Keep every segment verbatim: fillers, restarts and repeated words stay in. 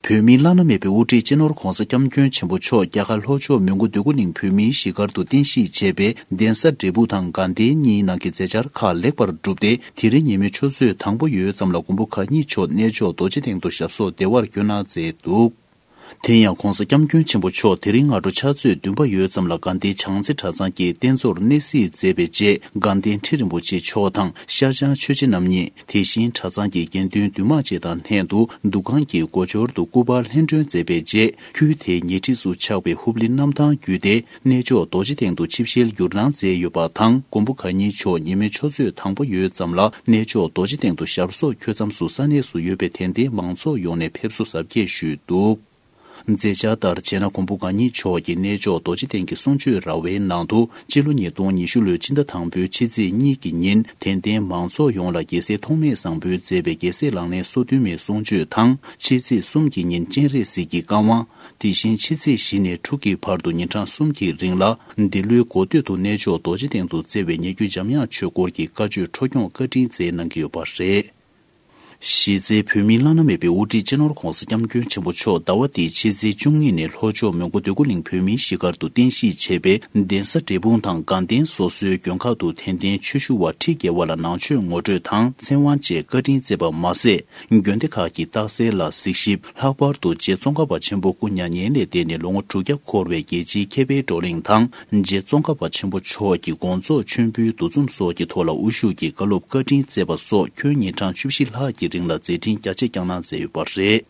བོད་མིའི་བླ་ན་མེད་པའི་དབུ་ཁྲིད་སྤྱི་ནོར་༧གོང་ས་༧སྐྱབས་མགོན་ཆེན་པོ་མཆོག་རྒྱ་གར་ལྷོ་ཕྱོགས་མོན་གྷོ་འདོད་རྒུ་གླིང་བོད་མིའི་གཞིས་སྒར་དུ་རྟེན་གཞི་བྱས་པའི་གདན་ས་འབྲས་སྤུངས་དང་དགའ་ལྡན་གཉིས་ནང་གི་མཛད་འཆར་ཁག་ལེགས་པར་གྲུབ་སྟེ། དེ་རིང་ཉིན་མོའི་ཆུ་ཚོད་དང་པོ་ཡོལ་ཙམ་ལ་མགོན་པོ་གང་ཉིད་མཆོག་གནས་མཆོག་རྡོ་རྗེ་གདན་དུ་ཞབས་སོར་བདེ་བར་བཀོད་གནང་མཛད་འདུག་དེ་ཡང་༧གོང་ས་༧སྐྱབས་མགོན་ཆེན་པོ་མཆོག་དེ་རིང་སྔ་དྲོ་ཕྱག་ཚོད་བདུན་པ་ཡོལ་ཙམ་ལ་དགའ་ལྡན་བྱང་རྩེ་གྲྭ་ཚང་གི་རྟེན་གཙོར་གནས་གཟིགས་མཛད་པའི་རྗེས། དགའ་ལྡན་ཁྲི་རིན་པོ་ཆེ་མཆོག་དང་ཤར་བྱང་ཆོས་རྗེ་རྣམ་གཉིས། དེ་བཞིན་གྲྭ་ཚང་གི་དགེ་འདུན་འདུས་མང་བཅས་དང་ལྷན་དུ་འདུ་ཁང་གི་སྒོ་འཁྱོར་དུ་སྐུ་པར་ལྷན་སྒྲོན་མཛད་པའི་རྗེས། ཁུལ་དེའི་ཉེ་འཁྲིས་སུ་ཆགས་པའི་ཧུབ་ལི་གནམ་ཐང་བརྒྱུད་དེ། གནས་མཆོག་རྡོ་རྗེ་གདན་དུ་ཆིབས་ཞལ་བསྒྱུར་གནང་མཛད་ཡོད་པ་དང་། མགོན་པོ་གང་ཉིད་མཆོག་ཉིན་མོའི་ཆུ་ཚོད་དང་པོ་ཡོལ་ཙམ་ལ་གནས་མཆོག་རྡོ་རྗེ་གདན་དུ་ཞབས་སོར་འཁོད་མཚམས་སུ་ས་གནས་སུ་ཡོད་པའི་དད་ལྡན་མང་ཚོགས་ཡོངས་ནས་ཕེབས་བསུ་གཟབ་རྒྱས་ཞུས་འདུག་མཛད་འཆར་ལྟར་བྱས་ན། མགོན་པོ་གང་ཉིད་མཆོག་གིས་གནས་མཆོག་རྡོ་རྗེ་གདན་གྱི་གསུང་ཆོས་ར་བའི་ནང་དུ། སྤྱི་ལོ་ཉིས་སྟོང་ཉི་ཤུ་ལོའི་ཕྱི་ཟླ་དང་པོའི་ཕྱི་ཚེས་གཉིས་ཀྱི་ཉིན། དད་ལྡན་མང་ཚོགས་ཡོངས་ལ་རྒྱལ་སྲས་ཐོགས་མེད་བཟང་པོས་མཛད་པའི་རྒྱལ་སྲས་ལག་ལེན་སོ་བདུན་མའི་གསུང་ཆོས་དང་། ཕྱི་ཚེས་གསུམ་གྱི་ཉིན་སྤྱན་རས་གཟིགས་ཀྱི་བཀའ་དབང་། དེ་བཞིན་ཕྱི་ཚེས་བཞི་ནས་དྲུག་གི་བར་དུ་ཉིན་གྲངས་གསུམ་གྱི་རིང་ལ། འདི་ལོའི་འགོ་སྟོད་དུ་གནས་མཆོག་རྡོ་རྗེ་གདན་དུ་བསྩལ་བའི་ཉེ་བརྒྱུད་འཇམ་དབྱངས་ཆོས་སྐོར་གྱི་བཀའ་ཆོས་འཕྲོ་སྐྱོང་བཀའ་དྲིན་སྩལ་གནང་གི་ཡོད་པ་རེད། གཞི་རྩའི་བོད་མིའི་བླ་ན་མེད་པའི་དབུ་ཁྲིད་སྤྱི་ནོར་༧གོང་ས་༧སྐྱབས་མགོན་ཆེན་པོ་མཆོག་ཟླ་བ་འདིའི་ཕྱི་ཚེས་བཅུ་གཉིས་ནས་ལྷོ་ཕྱོགས་མོན་གྷོ་འདོད་རྒུ་གླིང་བོད་མིའི་གཞིས་སྒར་དུ་རྟེན་གཞི་བྱས་པའི་གདན་ས་འབྲས་སྤུངས་དང་དགའ་ལྡན་སོ་སོའི་མགོན་ཁང་དུ་དད་ལྡན་ཆོས་ཞུ་བ་ཁྲི་བརྒྱད་པ་ལ་ནང་ཆོས་ངོ་སྤྲོད་དང་ཚེ་དབང་བཅས་བཀའ་དྲིན་སྩལ་པ་མ་ཟད། དགོན་སྡེ་ཁག་གི་རྟགས་གསལ་ལ་གཟིགས་ཞིབ། ལྷག་པར་དུ་རྗེ་ཙོང་ཁ་པ་ཆེན་པོ་སྐུ་མྱ་ངན་ལས་འདས་ནས་ལོ་ངོ་དྲུག་བརྒྱ་འཁོར་བའི་རྒྱལ་སྤྱིའི་མཁས་པའི་བགྲོ་གླེང་དང་། རྗེ་ཙོང་ཁ་པ་ཆེན་པོ་མཆོག་གི་དགོངས་རྫོགས་མཆོད་འབུལ་འདུ་འཛོམས་སོགས་ཀྱི་ཐོག་ལ་དབུ་བཞུགས་ཀྱིས་བཀའ་སློབ་བཀའ་དྲིན་སྩལ་བ་སོགས་ཁྱོན་ཉིན་གྲངས་བཅུ་བཞི་ལྷག་གི་རིང་ལ་མཛད་འཕྲིན་རྒྱ་ཆེ་བསྐྱངས་གནང་མཛད་ཡོད་པ་རེད།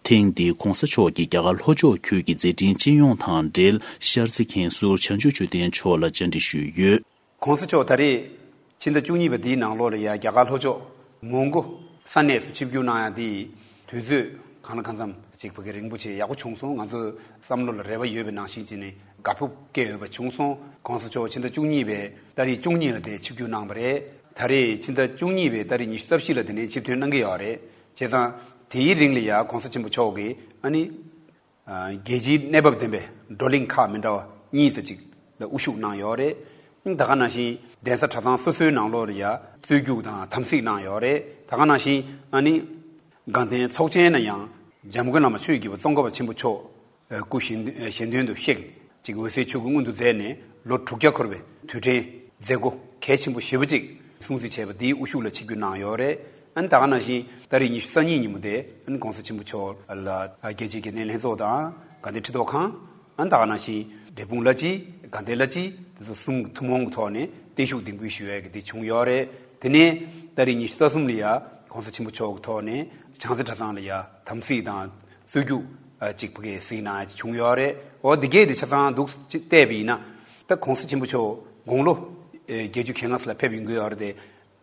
ཐེངས་འདིའི་༧གོང་ས་མཆོག་གིས་རྒྱ་གར་ལྷོ་ཕྱོགས་ཁུལ་གྱི་མཛད་འཕྲིན་སྤྱི་ཡོངས་དང་འབྲེལ། ཤར་རྩེ་མཁན་ཟུར་བྱང་ཆུབ་ཆོས་ལྡན་མཆོག་ལ་བཅར་འདྲི་ཞུས་ཡོད། ༧གོང་ས་མཆོག་ད་རེས་ཕྱི་ཟླ་བཅུ་གཉིས་པ་འདིའི་ནང་ལོགས་ལ་ཡ་རྒྱ་གར་ལྷོ་ཕྱོགས་མོན་གྷོ་ས་གནས་སུ་ཆིབས་བསྒྱུར་གནང་ཡ་དེ་དུས་ཚོད་གང་ལ་གང་འཚམ་ཅིག་ཕ་གི་རིང་པོ་ཆེ་ཡག་པོ་བྱུང་སོང་། ང་ཚོ་བསམ་བློ་ལ་རེ་བ་ཡོད་པའི་ནང་བཞིན་བྱས་ནས་དགའ་སྤོབས་སྐྱེ་ཡོད་པ་བྱུང་སོང་། ༧གོང་ས་མཆོག་ཕྱི་ཟླ་བཅུ་གཉིས་པའི་ཏ་རིག་བཅུ་གཉིས་ལ་དེ་ཆིབས་བསྒྱུར་གནང་བ་རེད། ད་རེས་ཕྱི་ཟླ་བཅུ་གཉིས་པའི་ཏ་རིག་ཉི་ཤུ་རྩ་བཞི་ལ་དེ་ནས་ཆིབས་ཐོན་གནང་གི་ཡོད་རེད། བྱས་ཙང་དེའི་རིང་ལ་ཡ་༧གོང་ས་ཆེན་པོ་མཆོག་གིས་ཨ་ནི། རྒྱལ་སྤྱིའི་གནས་བབ་ལྡན་པའི་བགྲོ་གླེང་ཁག་མི་འདྲ་བ་གཉིས་ཙམ་ཅིག་ལ་དབུ་བཞུགས་གནང་ཡོད་རེད། ད་ག་ནང་བཞིན་གདན་ས་གྲྭ་ཚང་སོ་སོའི་ནང་ལོགས་ལ་ཡ་རྩོད་རྒྱུགས་དང་དམ་ཚིག་གནང་ཡོད་རེད། ད་ག་ནང་བཞིན་ཨ་ནི་དགའ་ལྡན་ཚོགས་ཆེན་ན་ཡང་འཇམ་མགོན་བླ་མ་ཆོས་ཀྱི་རྒྱལ་པོ་ཙོང་ཁ་པ་ཆེན་པོ་མཆོག་སྐུ་གཞན་གཞན་དོན་དུ་གཤེགས་ཅིག་འོད་གསལ་ཆོས་སྐུ་མངོན་དུ་མཛད་ནས་ལོ་དྲུག་བརྒྱ་འཁོར་བའི་དུས་དྲན་མཛད་སྒོ་གལ་ཆེན་པོ་ཞེ་པོ་ཅིག་སྲུང་བརྩི་བྱས་པ་འདིའི་དབུ་བཞུགས་ལ་ཆིབས་བསྒྱུར་གནང་ཡོད་རེད། ཨ་ནི་ད་ག་ནང་བཞིན་ཏ་རིག་ཉི་ཤུ་རྩ་གཉིས་ཉིན་མོ་དེ་ཨ་ནི་༧གོང་ས་ཆེན་པོ་མཆོག་ལ་རྒྱལ་སྤྱིའི་དགེ་ལྡན་ལྷན་ཚོགས་དང་དགའ་ལྡན་ཁྲི་ཐོག་ཁང་། ཨ་ནི་ད་ག་ནང་བཞིན་འབྲས་སྤུངས་བླ་སྤྱི། དགའ་ལྡན་བླ་སྤྱི་དེ་ཚོ་གསུམ་ཐུན་མོང་གི་ཐོག་ནས་བརྟན་བཞུགས་གདན་འབུལ་ཞུ་ཡས་ཀྱི་དེ་བྱུང་ཡོད་རེད། དེ་ནས་ཏ་རིག་ཉི་ཤུ་རྩ་གསུམ་ལ་ཡ་༧གོང་ས་ཆེན་པོ་མཆོག་གི་ཐོག་ནས་བྱང་རྩེ་གྲྭ་ཚང་ལ་ཡ་དམ་ཚིག་དང་རྩོད་རྒྱུགས་ཅིག་ཕ་གི་གཟིགས་གནང་ཡ་ཅིག་བྱུང་ཡོད་རེད། འོ་འདི་གས་དེ་ཆ་ཚང་འདུག་ཅིག་བལྟས་པ་ཡིན་ན། ད་༧གོང་ས་ཆེན་པོ་མཆོག་དགུང་ལོ་བརྒྱད་ཅུ་གྱ་ལྔ་ཙམ་ལ་ཕེབས་ཡོང་གི་ཡོད་རེད་དེ།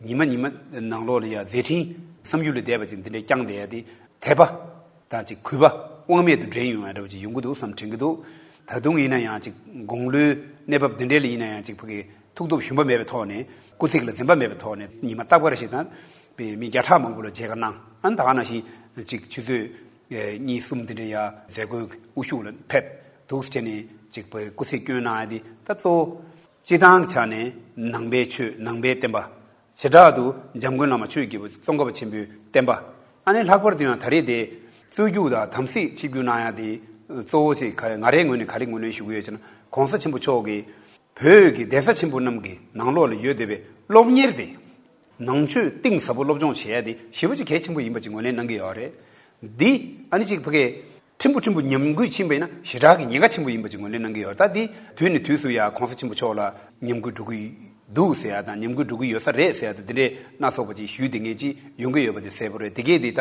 ཉི་མ་ཉི་མ་ནང་ལོགས་ལ་ཡ་མཛད་འཕྲིན་བསམ་ཡུལ་ལས་འདས་པ་ཅིག་འདི་འདྲའི་བསྐྱངས་བསྡད་ཡ་དེ་དད་པ་དང་ཅིག་གུས་པ་དབང་མེད་དུ་འདྲེན་ཡོང་ཡ་འདྲ་བ་ཅིག་ཡོང་གི་འདུག་བསམ་དྲན་གྱི་འདུག་ད་དུང་ཡིན་ན་ཡང་ཅིག་དགུང་ལོའི་གནས་བབ་འདི་འདྲའི་ལ་ཡིན་ན་ཡང་ཅིག་ཕ་གི་ཐུགས་སྟོབས་ཞུམ་པ་མེད་པའི་ཐོག་ནས་སྐུ་ཚེགས་ལ་འཛེམ་པ་མེད་པའི་ཐོག་ནས་ཉི་མ་རྟག་པར་ཞིག་དང་པའི་མི་བརྒྱ་ཕྲག་མང་པོ་ལ་མཇལ་ཁ་གནང་། ཨ་ནི་ད་ག་ནང་བཞིན་ཅིག་ཆུ་ཚོད་གཉིས་གསུམ་འདི་འདྲའི་ཡ་མཛད་སྒོའི་དབུ་བཞུགས་ལ་ཕེབས་འདུག་ཟེར་ནས་ཅིག་པའི་སྐུ་ཚེགས་སྐྱོན་གནང་ཡ་དེ་ད་གཙོ་བོ། སྤྱི་བཏང་གི་ཆ་ནས་ནང་པའི་ཆོས་ནང་པའི་བསྟན་པ། བྱེ་བྲག་ཏུ་འཇམ་མགོན་བླ་མ་ཆོས་ཀྱི་རྒྱལ་པོ་ཙོང་ཁ་པ་ཆེན་པོའི་བསྟན་པ། ཨ་ནི་ལྷག་པར་དུ་ཡང་ད་རེས་དེ་རྩོད་རྒྱུགས་དང་དམ་ཚིག་ཆིབས་བསྒྱུར་གནང་ཡ་དེ་གཙོ་བོ་ཆེ་ག་ང་རའི་ངོས་ནས་ག་རེ་ངོས་ལེན་ཞུ་གི་ཡོད་ཅེ་ན། ༧གོང་ས་ཆེན་པོ་མཆོག་གིས་བོད་ཀྱི་གདན་ས་ཆེན་པོ་རྣམས་ཀྱི་ནང་ལོགས་ལ་ཡོད་བསྡད་པའི་སློབ་གཉེར་དེ། ནང་ཆོས་གཏིང་ཟབ་པོ་སློབ་སྦྱོང་བྱེད་ཡ་དེ་ཞེ་པོ་ཅིག་གལ་ཆེན་པོ་ཡིན་པ་ཅིག་ངོས་ལེན་གནང་གི་ཡོད་རེད། འདི་ཨ་ནི་ཅིག་ཕ་གི་ཕྲན་བུ་ཕྲན་བུ་ཉམས་རྒུད་ཕྱིན་པ་ཡིན་ན་ཞེ་དྲག་གི་ཉེན་ཁ་ཆེན་པོ་ཡིན་པ་ཅིག་ངོས་ལེན་གནང་གི་ཡོད། ད་འདི་དུས་ནས་དུས་སུ་ཡ་༧གོང་ས་ཆེན་པོ་མཆོག་ལ་ཉམས་རྒུད་འགྲོ་གི་འདུག་ཟེར་ཡ་དང་ཉམས་རྒུད་འགྲོ་གི་ཡོད་ས་རེད་ཟེར་ཡ་དང་འདི་འདྲའི་སྣ་ཚོགས་པ་ཅིག་ཞུས་བསྡད་མཁན་ཅིག་ཡོང་གི་ཡོད་པ་དེ་གསལ་པོ་རེད། དེ་གས་འདི་ད་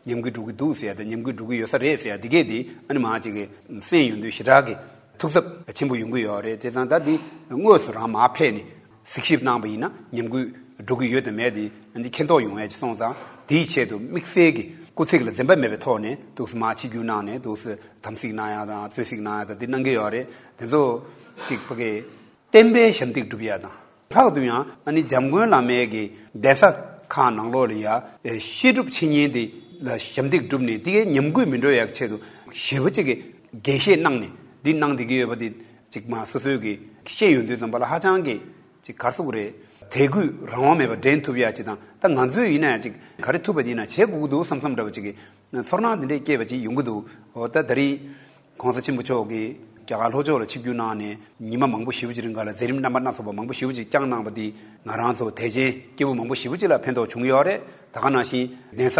ཉམས་རྒུད་འགྲོ་གི་འདུག་ཟེར་ཡ་དང་ཉམས་རྒུད་འགྲོ་གི་ཡོད་ས་རེད་ཟེར་ཡ་འདི་གས་འདི་ཨ་ནི་མང་ཅིག་གི་གསན་ཡོང་དུས་ཞེ་དྲག་གི་ཐུགས་འཚབ་ཆེན་པོ་ཡོང་གི་ཡོད་རེད། བྱས་ཙང་ད་འདི་དངོས་སུ་རང་མར་ཕེབས་ནས། གཟིགས་ཞིབ་གནང་བ་ཡིན་ན་ཉམས་རྒུད་འགྲོ་གི་ཡོད་དམ་མེད་དེ་ཨ་ནི་མཁྱེན་རྟོགས་ཡོང་ཡ་ཅིག་སོང་ཙང་དེའི་ཆེད་དུ་དམིགས་བསལ་གྱི་སྐུ་ཚེགས་ལ་འཛེམ་པ་མེད་པའི་ཐོག་ནས་འདུག་སེ་མར་ཆིབས་བསྒྱུར་གནང་ནས་འདུག་སེ་དམ་གཟིགས་གནང་ཡ་དང་རྩོད་གཟིགས་གནང་ཡ་དང་དེ་གནང་གི་ཡོད་རེད། དེ་ཚོ་ཅིག་ཕ་གི་བསྟན་པའི་ཞབས་འདེགས་སྒྲུབ་ཡ་དང་ལྷག་ཏུ་ཡང་ཨ་ནི་འཇམ་མགོན་བླ་མའི་གི་གདན་ས་ཁག་ནང་ལོགས་ལ་ཡ་བཤད་སྒྲུབ་འཆད་ཉན་དེ་ལ་ཞབས་འདེགས་སྒྲུབ་ནས་དེ་གའི་ཉམས་རྒུད་མི་འགྲོ་ཡ་གི་ཆེད་དུ་ཞེ་པོ་ཅིག་གི་འགན་བཞེས་གནང་ནས་འདི་གནང་བསྡད་ཀྱི་ཡོད་པ་དེ་ཅིག་མ་སོ་སོའི་གི་ཤེས་ཡོང་དུས་ཙམ་པ་ལ་ཧ་ཅང་གི་ཅིག་ག་རེ་ཟེར་དགོས་རེད། དད་གུས་རང་དབང་མེད་པར་འགྲན་ཐུབ་ཡ་ཅིག་དང་། ད་ང་ཚོས་ཡིན་ན་ཡང་ཅིག་ག་རེ་ཐུབ་པ་ཡིན་ན་བྱེད་དགོས་ཀྱི་འདུག་བསམ་བསམ་འདྲ་བ་ཅིག་གི་ཚོར་སྣང་འདི་འདྲས་སྐྱེས་པ་ཅིག་ཡོང་གི་འདུག་འོ་ད་ད་རེས་གོང་ས་ཆེན་པོ་མཆོག་གིས་རྒྱ་གར་ལྷོ་ཕྱོགས་ལ་ཆིབས་བསྒྱུར་གནང་ནས་ཉི་མ་མང་པོ་ཞེ་པོ་ཅིག་རིང་ག་ལ་མཛད་རིམ་རྣམ་པ་སྣ་ཚོགས་པ་མང་པོ་ཞེ་པོ་ཅིག་བསྐྱངས་གནང་བ་འདིས་ང་རང་ཚོ་དད་ཅན་སྐྱེ་བོ་མང་པོ་ཞེ་པོ་ཅིག་ལ་ཕན་ཐོགས་བྱུང་ཡོད་རེད། ད་ག་ནང་བཞིན་གདན་ས་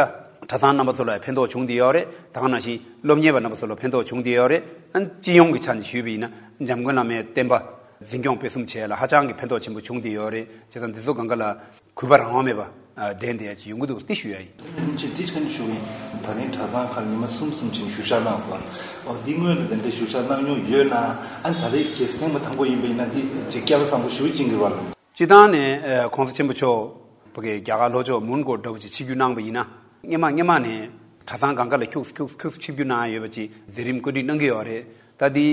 གྲྭ་ཚང་རྣམ་པ་ཚོ་ལ་ཕན་ཐོགས་བྱུང་བསྡད་ཡོད་རེད། ད་ག་ནང་བཞིན་སློབ་གཉེར་བ་རྣམ་པ་ཚོ་ལ་ཕན་ཐོགས་བྱུང་བསྡད་ཡོད་རེད། ཨ་སྤྱི་ཡོངས་ཀྱི་ཆ་ནས་ཞུས་པ་ཡིན་ན་འཇམ་མགོན་བླ་མའི་བསྟན་པ་འཛིན་སྐྱོང་སྤེལ་གསུམ་བྱས་ལ་ཧ་ཅང་གི་ཕན་ཐོགས་ཆེན་པོ་བྱུང་བསྡད་ཡོད་རེད། བྱས་ཙང་འདི་ཚོ་གང་ག་ལ་གུས་པ་རང་དབང་མེད་པ་འགྲན་བསྡད་ཡ་ཅིག་ཡོང་གི་འདུག་འདི་ཞུ་ཡ་ཡིན། ཅི་འདི་ཕྱིན་ཞུ་གིན། ད་ནི་གྲྭ་ཚང་ཁག་ཉི་མ་གསུམ་གསུམ་ཕྱིན་བཞུགས་ཞག་གནང་སོང་། འོ་འདི་སྔོན་ལ་དེ་འདྲའི་བཞུགས་ཞག་གནང་མྱོང་ཡོད་ན། ཨ་ནི་ད་རེས་གལ་སྲིད་ཐེངས་མ་དང་པོ་ཡིན་པ་ཡིན་ན་འདི་ཅིག་སྐལ་བ་བཟང་པོ་ཞེ་པོ་ཅིག་ཡིན་གྱི་རེད་པ། སྤྱིར་བཏང་ནས་ཨ་གོང་ས་ཆེན་པོ་མཆོག་ཕ་གི་རྒྱ་གར་ལྷོ་ཕྱོགས་མོན་གྷོ་འདྲ་བོ་ཅིག་ཆིབས་བསྒྱུར་གནང་པ་ཡིན་ན། སྔོན་མ་སྔོན་མ་ནས་གྲྭ་ཚང་གང་ག་ལ་ཁྱུག་ཁྱུག་ཁྱུག་ཆིབས་བསྒྱུར་གནང་ཡ་ཡོད་པ་ཅིག་མཛད་རིམ་བཀོད་སྒྲིག་གནང་གི་ཡོད་རེད། ད་འདི་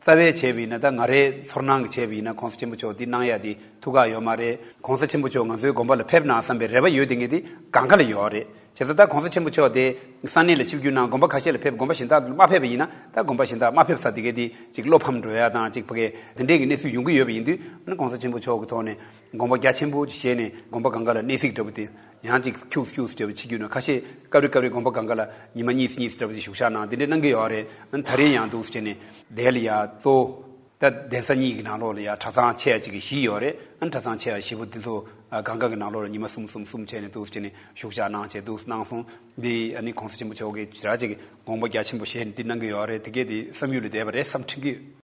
རྩ་བའི་བྱས་པ་ཡིན་ན། ད་ང་རའི་ཚོར་སྣང་གི་བྱས་པ་ཡིན་ན། གོང་ས་ཆེན་པོ་མཆོག་འདི་གནང་ཡ་འདི་ཐུགས་ཁག་ཡོད་མ་རེད། གོང་ས་ཆེན་པོ་མཆོག་ང་ཚོའི་དགོན་པ་ལ་ཕེབས་ན་བསམ་པའི་རེ་བ་ཡོད་དེ་ངས་འདི་གང་ག་ལ་ཡོད་རེད། བྱས་ཙང་ད་གོང་ས་ཆེན་པོ་མཆོག་དེ་ས་གནས་ལ་ཆིབས་བསྒྱུར་གནང་དགོན་པ་ཁ་ཤས་ལ་ཕེབས། དགོན་པ་གཞན་དག་ལ་མ་ཕེབས་པ་ཡིན་ན། ད་དགོན་པ་གཞན་དག་མ་ཕེབས་ས་དེ་གའི་དེ་ཅིག་བློ་ཕམ་འགྲོ་ཡ་དང་ཅིག་ཕ་གི་དེ་འདྲའི་གི་གནས་ཚུལ་ཡོང་གི་ཡོད་པ་ཡིན་དུས། ཨ་ནི་གོང་ས་ཆེན་པོ་མཆོག་གི་ཐོག་ནས་དགོངས་པ་རྒྱ་ཆེན་པོ་ཅིག་བཞེས་ནས་དགོན་པ་གང་ག་ལ་གནས་གཟིགས་འདྲ་བོ་དེ་ཡང་ཅིག་ཁྱུག་ཁྱུག་འདྲ་བོ་ཅིག་བྱེད་རྒྱུ་ན། ཁ་ཤས་སྐབས་རེ་སྐབས་རེ་དགོན་པ་གང་ག་ལ་ཉི་མ་གཉིས་གཉིས་འདྲ་བོ་ཅིག་བཞུགས་ཞག་གནང་དེ་འདྲ་གནང་གི་ཡོད་རེད། ཨ་ནི་ད་རེས་ཡང་འདུག་སེ་བྱས་ནས་དེ་ལ་ཡ་གཙོ་བོ་ད་གདན་ས་གཉིས་ཀྱི་ནང་ལོགས་ལ་ཡ་གྲྭ་ཚང་ཆེ་ཡ་གཅིག་གི་བཞི་ཡོད་རེད། ཨ་ནི་གྲྭ་ཚང་ཆེ་ཡ་བཞི་པོ་འདི་ཚོ་ཨ་གང་ག་གི་ནང་ལོགས་ལ་ཉི་མ་གསུམ་གསུམ་གསུམ་བྱས་ནས་འདུག་སེ་བྱས་ནས་བཞུགས་ཞག་གནང་བྱས་འདུག་སེ་གནང་སོང་། འདི་ཨ་ནི་གོང་ས་ཆེན་པོ་མཆོག་གིས་ཞེ་དྲག་ཅིག་དགོངས་པ་རྒྱ་ཆེན་པོ་བཞེས་ནས་འདི་གནང་གི་ཡོད་རེད། དེ་གས་དེ་བསམ་ཡུལ་ལས་འདས་པ་རེད་བསམ་དྲན་གྱི་ཡོད།